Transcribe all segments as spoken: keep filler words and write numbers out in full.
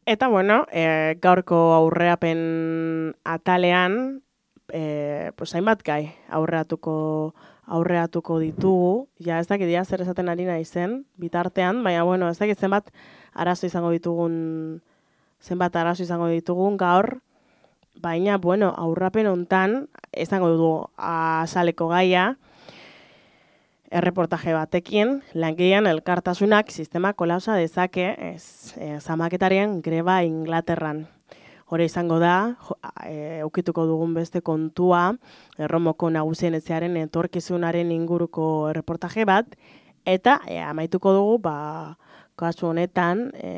Eta, bueno, e, gaurko aurreapen atalean, e, pues, hainbat gai aurreatuko, aurreatuko ditugu. Ja, ez dakit ja zer esaten ari naizen bitartean, baina, bueno, ez dakit zenbat arazo izango ditugun, zenbat arazo izango ditugun gaur, baina, bueno, aurrapen hontan, izango dugu azaleko gaia, erreportaje batekin, langileen elkartasunak sistema kolapsa dezake ez, e, zamaketarien greba Inglaterran. Hore izango da, e, ukituko dugun beste kontua, Erromoko nagusien etxearen etorkizunaren inguruko erreportaje bat, eta e, amaituko dugu, ba, kasu honetan, e,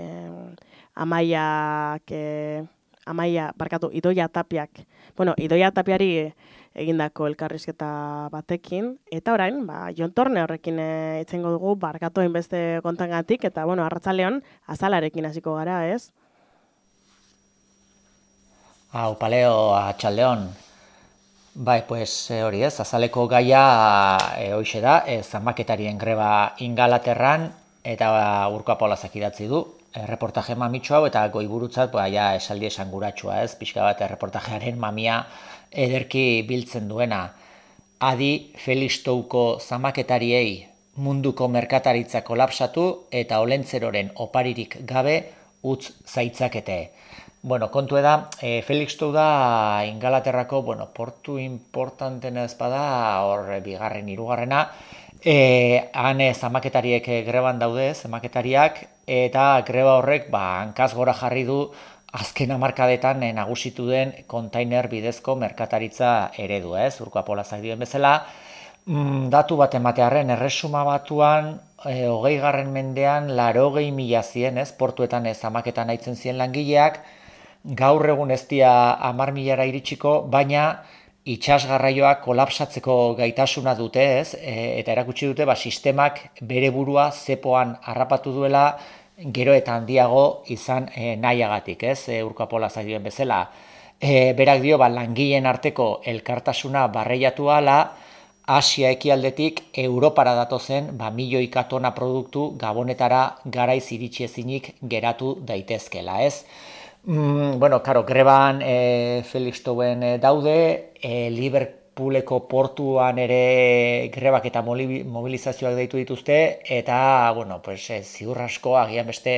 amaiak, e, amaia, barkatu, Idoia Tapiak, bueno, Idoia Tapiari egindako elkarrizketa batekin, eta orain, ba, Jon Torne horrekin e, itzengo dugu, barkatu hainbeste kontangatik, eta, bueno, arratsaleon azalarekin hasiko gara, ez? Hau, paleo, atxaldeon. Bai, pues hori ez, azaleko gaia e, hoxe da, e, zamaketarien greba Ingalaterran, eta ba, Urko Apolazak idatzi du. Erreportaje mamitxo hau, eta goiburutzat, ba, ja, esaldi esanguratsua ez, pixka bat erreportajearen mamia ederki biltzen duena. Adi Felix Touko zamaketariei munduko merkataritza kolapsatu eta olentzeroren oparirik gabe utz zaitzakete. Bueno, kontu da, e, Felix Tou da Ingalaterrako, bueno, portu importantena ez bada, hor bigarren, hirugarrena, e, han e, zamaketariek greban daude, zamaketariak, eta greba horrek, ba, hankaz gora jarri du, azken hamarkadetan e, nagusitu den kontainer bidezko merkataritza eredua, ez, Urko Apolazak dioen bezala. Mm, datu bat ematearren, erresuma batuan, e, hogei garren mendean, larogei mila zien, ez, portuetan ez zamaketan haitzen ziren langileak, gaur egun ez dira hamar milara iritsiko, baina itsasgarraioak kolapsatzeko gaitasuna dute, ez? E, eta erakutsi dute ba, sistemak bere burua zepoan harrapatu duela gero eta handiago izan e, nahiagatik, ez? E, Urko Apolazak dioen bezala. E, berak dio, ba, langileen arteko elkartasuna barreiatu ala, Asia ekialdetik Europara datozen ba, milioika tona produktu Gabonetara garaiz iritsi ezinik geratu daitezkela, ez? Mm, bueno, karo, greban e, Felix Touen e, daude, e, Liverpooleko portuan ere grebak eta mobilizazioak deitu dituzte, eta, bueno, pues, e, ziur asko agian beste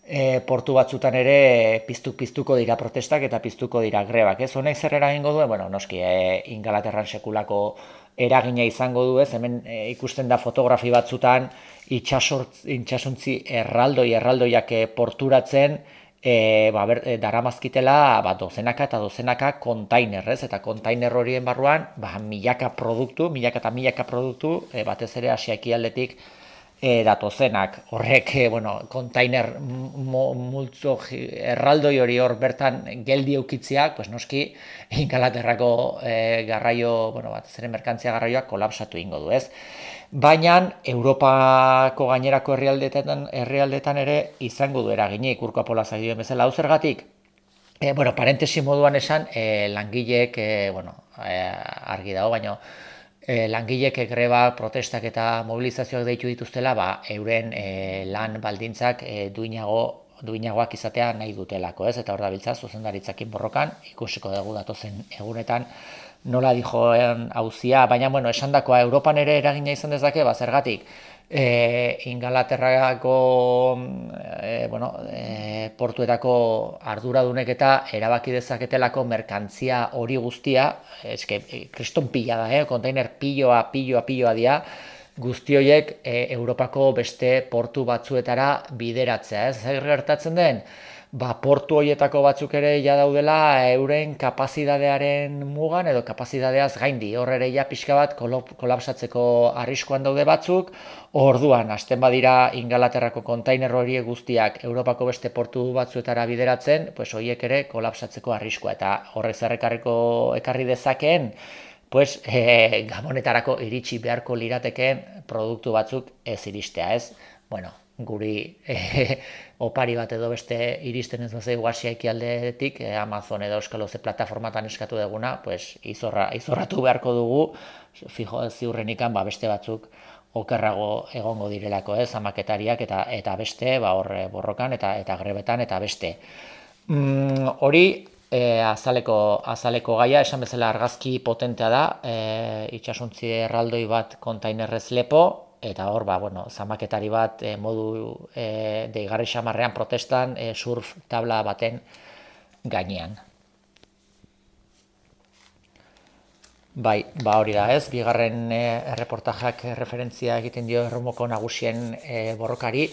e, portu batzutan ere piztu-piztuko dira protestak eta piztuko dira grebak, ez? Honek zer eragingo duen? Bueno, noski, e, Ingalaterran sekulako eragina izango du, ez? Hemen e, ikusten da fotografi batzutan itxasontzi erraldoi, erraldoiak e, porturatzen, E, ba, ber, e, daramazkitela ba, dozenaka eta dozenaka kontainerrez, eta kontainer horien barruan ba, milaka produktu, milaka eta milaka produktu, e, batez ere Asia ekialdetik e, datozenak. Horrek, e, bueno, kontainer multzo erraldoi hori hor bertan geldi eukitziak, pues noski, Ingalaterrako e, garraio, bueno, batez ere merkantzia garraioak kolapsatu ingo du, ez? Baina Europako gainerako herrialdetan, herrialdetan ere izango du eraginik Urko Apolazak dioen bezala. Hau zergatik? E, bueno, parentesi moduan esan, e, langileek, e, bueno, e, argi dago, baina e, langileek greba, protestak eta mobilizazioak deitu dituztela, ba, euren e, lan baldintzak e, duinago duinagoak izatea nahi dutelako, ez? Eta hor da biltza, zuzendaritzakin borrokan, ikusiko dugu datozen egunetan, nola dijoen hauzia, baina, bueno, esandakoa Europan ere eragina izan dezake, ba, zergatik, e, Ingalaterrako e, bueno, e, portuetako arduradunek eta erabaki dezaketelako merkantzia hori guztia, eske, kriston pila da, eh? Kontainer piloa, piloa, piloa dia, guzti horiek e, Europako beste portu batzuetara bideratzea, ez? Zer gertatzen den? Ba, portu horietako batzuk ere ja daudela euren kapazidadearen mugan edo kapazidadeaz gaindi. Hor ere ja pixka bat kolapsatzeko arriskuan daude batzuk. Orduan, hasten badira Ingalaterrako kontainer horiek guztiak Europako beste portu batzuetara bideratzen, pues horiek ere kolapsatzeko arriskua. Eta horrek zerrekarriko ekarri dezakeen, pues e, Gabonetarako iritsi beharko liratekeen produktu batzuk ez iristea, ez? Bueno, guri e, opari bat edo beste iristen ez bazaigu Asia ekialdetik, e, Amazon edo Euskal Oze plataformatan eskatu duguna, pues izorra, izorratu beharko dugu, fijo ziurrenikan ba, beste batzuk okerrago egongo direlako, ez, zamaketariak eta eta beste, ba hor borrokan eta eta grebetan eta beste. Mm, hori e, azaleko azaleko gaia, esan bezala argazki potentea da, e, itsasontzi erraldoi bat kontainerrez lepo, eta hor, ba, bueno, zamaketari bat e, modu e, deigarri xamarrean protestan e, surf tabla baten gainean. Bai, ba hori da, ez? Bigarren e, erreportajak referentzia egiten dio Erromoko nagusien e, borrokari.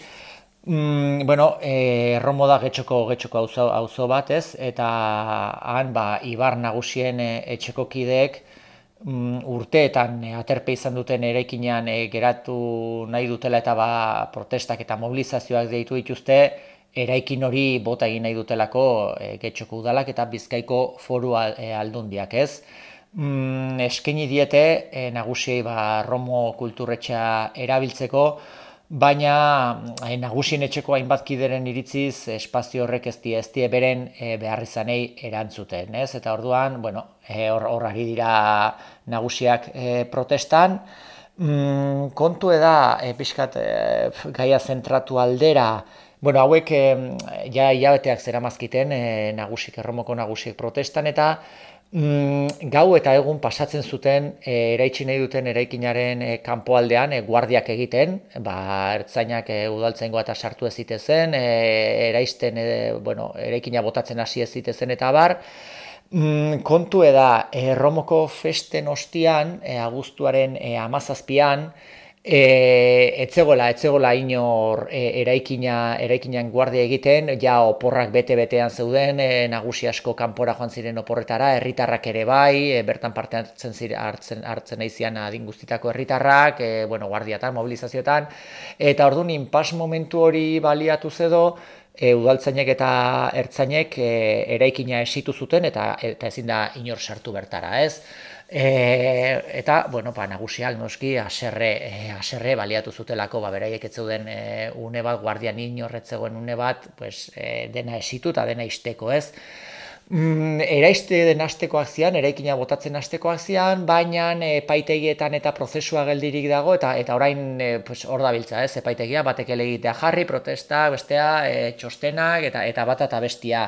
Mm, bueno, e, Erromo da getxoko getxoko auzo auzo bat, ez? Eta han ba Ibar nagusien e, etxeko kideek mm, urteetan e, aterpe izan duten eraikinean e, geratu nahi dutela eta ba protestak eta mobilizazioak deitu dituzte, eraikin hori bota egin nahi dutelako e, getxoko udalak eta Bizkaiko Foru e, Aldundiak, ez? Mm, eskaini diete e, nagusiei ba, Romo kulturretxea erabiltzeko, baina e, nagusien etxeko hainbat kideren iritziz espazio horrek ez die, ez die beren e, beharrizanei erantzuten, ez? Eta orduan, bueno, e, hor, hor ari dira nagusiak e, protestan. Mm, kontu eda, e, pixkat e, gaia zentratu aldera, bueno, hauek e, ja hilabeteak zeramazkiten e, nagusik, Erromoko nagusiek protestan, eta Mm, gau eta egun pasatzen zuten e, eraitsi nahi duten eraikinaren e, kanpoaldean e, guardiak egiten, ba, ertzainak e, udaltzaingoa eta sartu ez zitezen, e, eraisten, e, bueno, eraikina botatzen hasi ez zitezen eta bar. Mm, kontu eda, Erromoko festen ostian, e, abuztuaren e, amazazpian, E, etzegola, etzegola inor e, eraikina, eraikinan guardia egiten, ja oporrak bete-betean zeuden, e, nagusi asko kanpora joan ziren oporretara, herritarrak ere bai, e, bertan parte hartzen ziren, hartzen, hartzen aizian adin guztitako herritarrak, e, bueno, guardiatan, mobilizazioetan, eta orduan inpas momentu hori baliatu zedo, e, udaltzainek eta ertzainek e, eraikina esitu zuten, eta, eta ezin da inor sartu bertara, ez? E, eta, bueno, ba, nagusiak noski haserre, e, haserre baliatu zutelako, ba, beraiek ez zeuden e, une bat, guardian inorretzegoen une bat, pues, e, dena esitu eta dena isteko, ez? Mm, eraiste den astekoak zian, eraikina botatzen astekoak zian, baina epaitegietan eta prozesua geldirik dago, eta eta orain e, pues, hor dabiltza, ez, epaitegia, batek elegitea jarri, protesta, bestea, e, txostenak, eta eta bata eta bestia.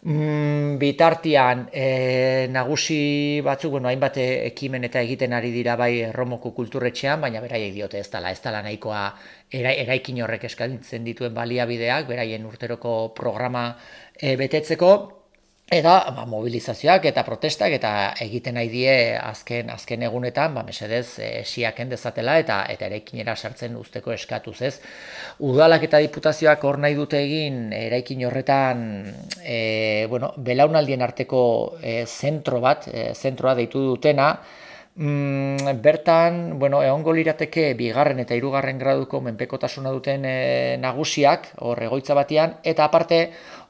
Mm, bitartian e, nagusi batzuk, bueno, hainbat ekimen eta egiten ari dira bai Erromoko kulturretxean, baina beraiek diote ez dela, ez dela nahikoa era, eraikin horrek eskaintzen dituen baliabideak, beraien urteroko programa e, betetzeko, eta ba, mobilizazioak eta protestak eta egiten nahi die azken azken egunetan, ba mesedez esiaken dezatela eta eta eraikinera sartzen usteko eskatuz, ez. Udalak eta diputazioak hor nahi dute egin eraikin horretan e, bueno, belaunaldien arteko e, zentro bat, e, zentroa deitu dutena. Mm, bertan, bueno, egongo lirateke bigarren eta hirugarren graduko menpekotasuna duten e, nagusiak, hor egoitza batean, eta aparte,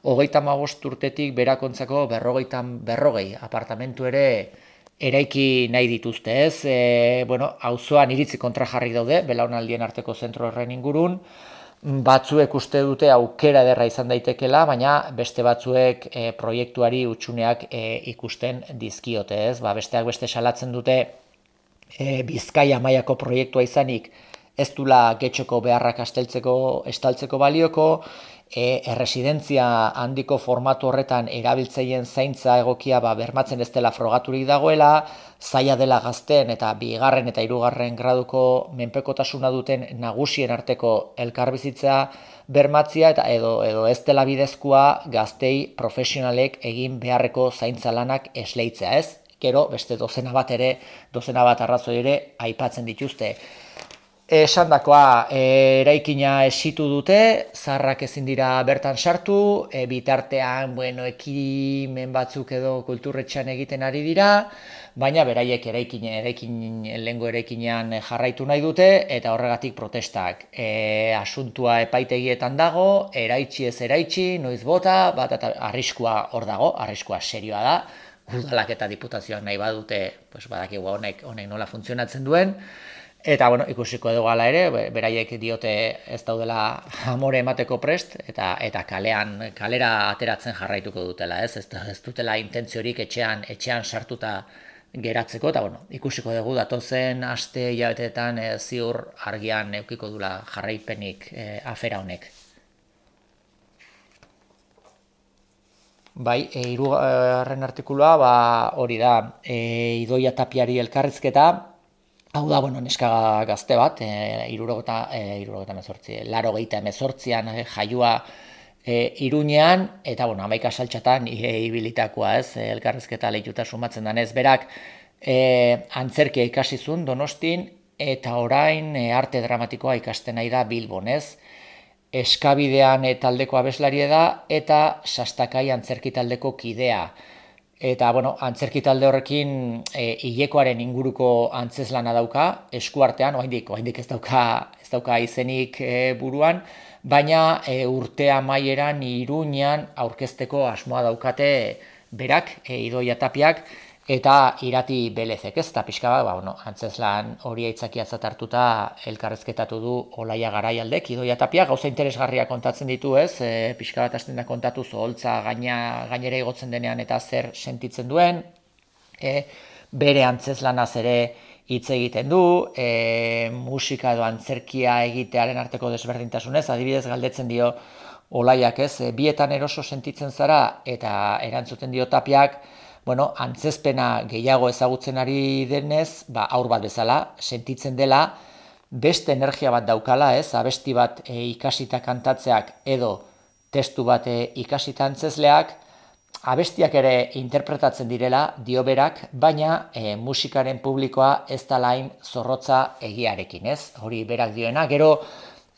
hogeita hamabost urtetik berakontzako berrogeitan berrogei apartamentu ere eraiki nahi dituzte, ez? E, bueno, auzoan iritzi kontrajarri daude, belaunaldien arteko zentro horren ingurun, batzuek uste dute aukera ederra izan daitekela, baina beste batzuek e, proiektuari hutsuneak e, ikusten dizkiote, ez? Ba, besteak beste salatzen dute e, Bizkaia mailako proiektua izanik ez dula getxoko beharrak asteltzeko, estaltzeko balioko, e, erresidentzia handiko formatu horretan erabiltzaileen zaintza egokia ba, bermatzen ez dela frogaturik dagoela, zaila dela gazten eta bigarren eta hirugarren graduko menpekotasuna duten nagusien arteko elkarbizitza bermatzia eta edo edo ez dela bidezkoa gaztei profesionalek egin beharreko zaintza lanak esleitzea, ez? Gero beste dozena bat ere, dozena bat arrazoi ere aipatzen dituzte. Esandakoa, e, eraikina esitu dute, zaharrak ezin dira bertan sartu, e, bitartean, bueno, ekimen batzuk edo kulturretxean egiten ari dira, baina beraiek eraikin, eraikin, lehengo eraikinean jarraitu nahi dute, eta horregatik protestak. E, asuntua epaitegietan dago, eraitsi ez eraitsi, noiz bota, bat eta arriskua hor dago, arriskua serioa da, udalak eta diputazioak nahi badute, pues badakigu honek, honek nola funtzionatzen duen, eta, bueno, ikusiko dugu hala ere, beraiek diote ez daudela amore emateko prest, eta eta kalean, kalera ateratzen jarraituko dutela, ez? Ez, ez dutela intentziorik etxean, etxean sartuta geratzeko, eta bueno, ikusiko dugu datozen aste hilabeteetan e, ziur argian eukiko dula jarraipenik e, afera honek. Bai, e, hirugarren artikulua ba, hori da, e, Idoia Tapiari elkarrizketa, hau da, bueno, neska gazte bat, e, irurogeta, e, irurogeta mezortzi, laro gehieta emezortzian e, jaiua e, Iruñean, eta, bueno, hamaika saltxatan e, ibilitakoa, ez, e, elkarrizketa lehituta sumatzen danez, berak e, antzerkia ikasizun Donostin, eta orain e, arte dramatikoa ikasten nahi da Bilbon, ez, Eskabidean e, taldeko abeslaria da, eta Sastakai antzerki taldeko kidea. Eta, bueno, antzerki talde horrekin e, hilekoaren inguruko antzeslana dauka, eskuartean, oraindik, oraindik ez dauka, ez dauka izenik e, buruan, baina e, urte amaieran Iruñean aurkezteko asmoa daukate berak, e, Idoia Tapiak, eta Irati Belezek, ez, eta pixka bat, ba, bueno, antzeslan hori aitzakiatzat hartuta elkarrezketatu du Olaia Garaialdek, Idoia Tapia, gauza interesgarria kontatzen ditu, ez, e, pixka bat hasten da kontatu zoholtza gaina, gainera igotzen denean eta zer sentitzen duen, e, bere antzeslanaz ere hitz egiten du, e, musika edo antzerkia egitearen arteko desberdintasunez, adibidez galdetzen dio Olaiak, ez, e, bietan eroso sentitzen zara, eta erantzuten dio Tapiak, bueno, antzezpena gehiago ezagutzen ari denez, ba, aur bat bezala, sentitzen dela, beste energia bat daukala, ez, abesti bat e, ikasita kantatzeak edo testu bat e, ikasita antzezleak, abestiak ere interpretatzen direla, dio berak, baina e, musikaren publikoa ez da lain zorrotza egiarekin, ez, hori berak dioena, gero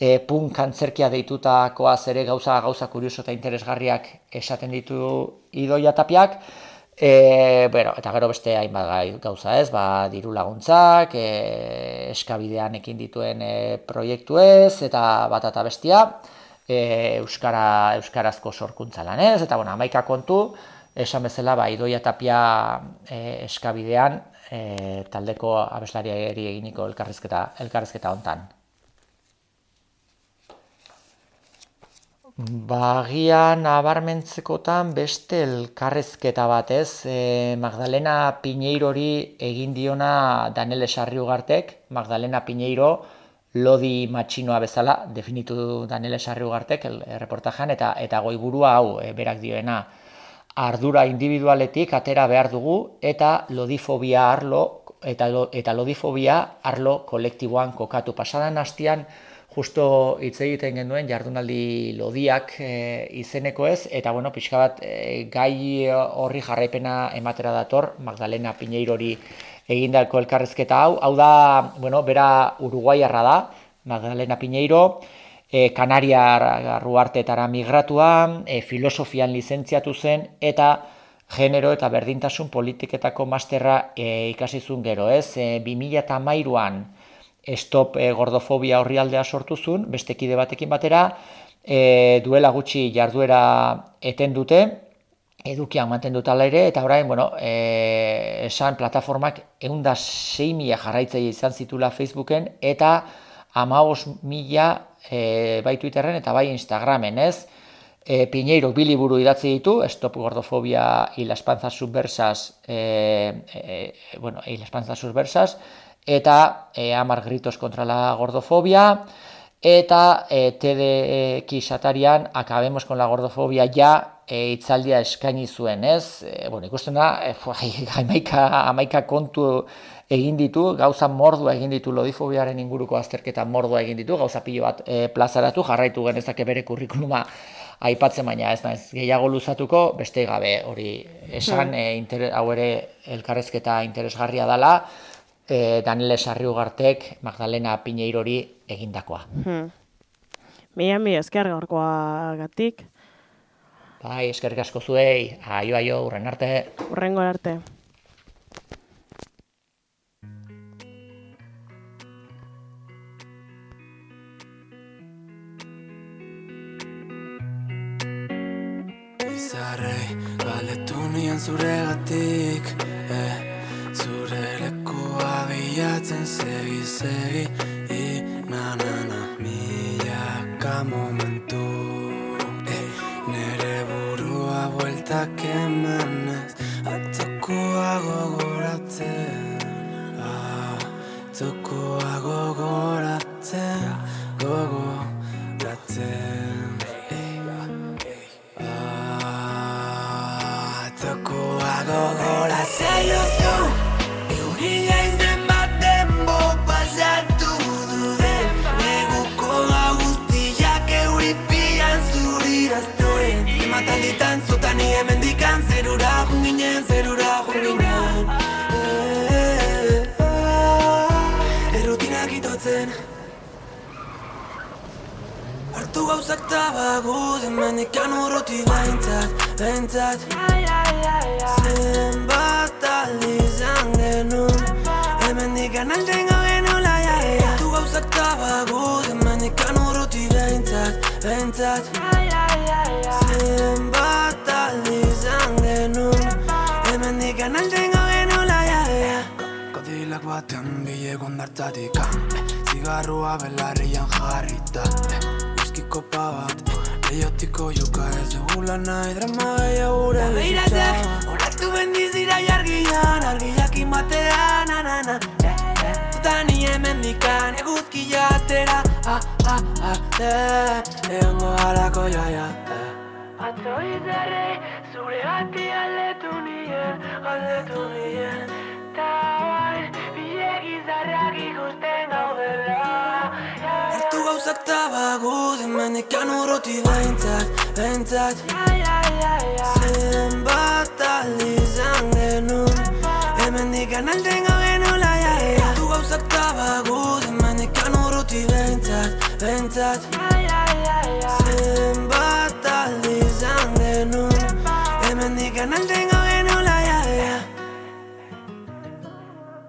e, punk antzerkia deitutakoaz ere gauza gauza kurioso eta interesgarriak esaten ditu Idoia Tapiak, E, bueno, eta gero beste hainbat gauza ez, ba, diru laguntzak, e, eskabidean ekin dituen e, proiektu ez, eta bat eta bestia, e, Euskara, Euskarazko sorkuntza lan ez, eta bueno, hamaika kontu, esan bezala, ba, Idoia Tapia e, eskabidean e, taldeko abeslariari eginiko elkarrizketa, elkarrizketa hontan. Bagian nabarmentzekotan beste elkarrezketa bat, ez, e, Magdalena Piñeirori egin diona Danele Sarriugartek, Magdalena Piñeiro lodi matxinoa bezala, definitu du Danele Sarriugartek el, reportajean, eta eta goiburua hau e, berak dioena, ardura individualetik atera behar dugu, eta lodifobia arlo, eta, eta lodifobia arlo kolektiboan kokatu. Pasadan hastian, justo hitz egiten genuen jardunaldi lodiak e, izeneko ez, eta bueno, pixka bat e, gai horri jarraipena ematera dator, Magdalena Piñeirori egindako elkarrezketa hau, hau da, bueno, bera uruguaiarra da, Magdalena Piñeiro, e, Kanaria Ruartetara migratua, e, filosofian lizentziatu zen, eta genero eta berdintasun politiketako masterra e, ikasizun gero, ez, e, bi mila hamairuan Stop e, Gordofobia orrialdea sortu zuen, beste kide batekin batera, e, duela gutxi jarduera eten dute, edukian mantendu tala ere, eta orain, bueno, e, esan plataformak ehun eta sei mila jarraitzaile izan zitula Facebooken, eta hamabost mila e, bai Twitterren eta bai Instagramen, ez? E, Piñeiro bi liburu idatzi ditu, Stop Gordofobia y las panzas subversas, e, e, bueno, y las panzas subversas, eta e, hamar gritos kontra la gordofobia, eta e, T D X atarian Acabemos con la gordofobia ja e, itzaldia eskaini zuen, ez? E, bueno, ikusten da, e, hamaika, hamaika kontu egin ditu, gauza mordua egin ditu, lodifobiaren inguruko azterketa mordua egin ditu, gauza pilo bat e, plazaratu, jarraitu genezake bere kurrikuluma aipatzen, baina ez naiz gehiago luzatuko, beste gabe hori esan, e, inter, hau ere elkarrezketa interesgarria dela, E, Danele Sarriugartek Magdalena Piñeirori egindakoa. Hmm. Mila mi esker gaurkoa gatik. Bai, eskerrik asko zuei, aio aio, urren arte. Urrengo arte. Izarrei, galetu nien zuregatik, eh, zure lekua bilatzen segi, segi, i, na, na, na, milaka momentu, eh, nere burua bueltak emanez, atzokoa gogoratzen. gogoratzen Atzokoa gogoratzen Gogoratzen Atzokoa gogoratzen Jozu Euria izen baten bo pasatu duden Neguko guztiak euripian zuriraztuen Zimatalditan zutan hemendikan zerura junginen, zerura junginen Errutinak itotzen Hartu gauzak tabaguz Hemendikan urruti behintzat, behintzat Zenbat aldizan genuen Hemendikan alden gabenula Hartu gauzak tabaguz Hemendikan urruti behintzat, behintzat Zenbat aldizan genuen Hemendikan alden gabenula Kodilak batean bilego ondartzatik Zigarrua belarrian jarrita Whisky kopa bat Lehiotiko joka ez dugula nahi drama gehiago gure bizitza Horatu bendizira jargian Argiak inbatean na-na-na Zutan hemendikan eguzkia atera Ah, ah, ah, egongo harako jaia Atzo izarrei zure gati aldetu nien Aldetu nien Ta bain bilek izarrak ikusten gaudela Hartu gauzak tabaguz Hemendikan urruti behintzat, behintzat Zenbat aldizan genuen Hemendikan alden gabenula Hartu gauzak tabaguz Hemendikan urruti behintzat, behintzat Zenbat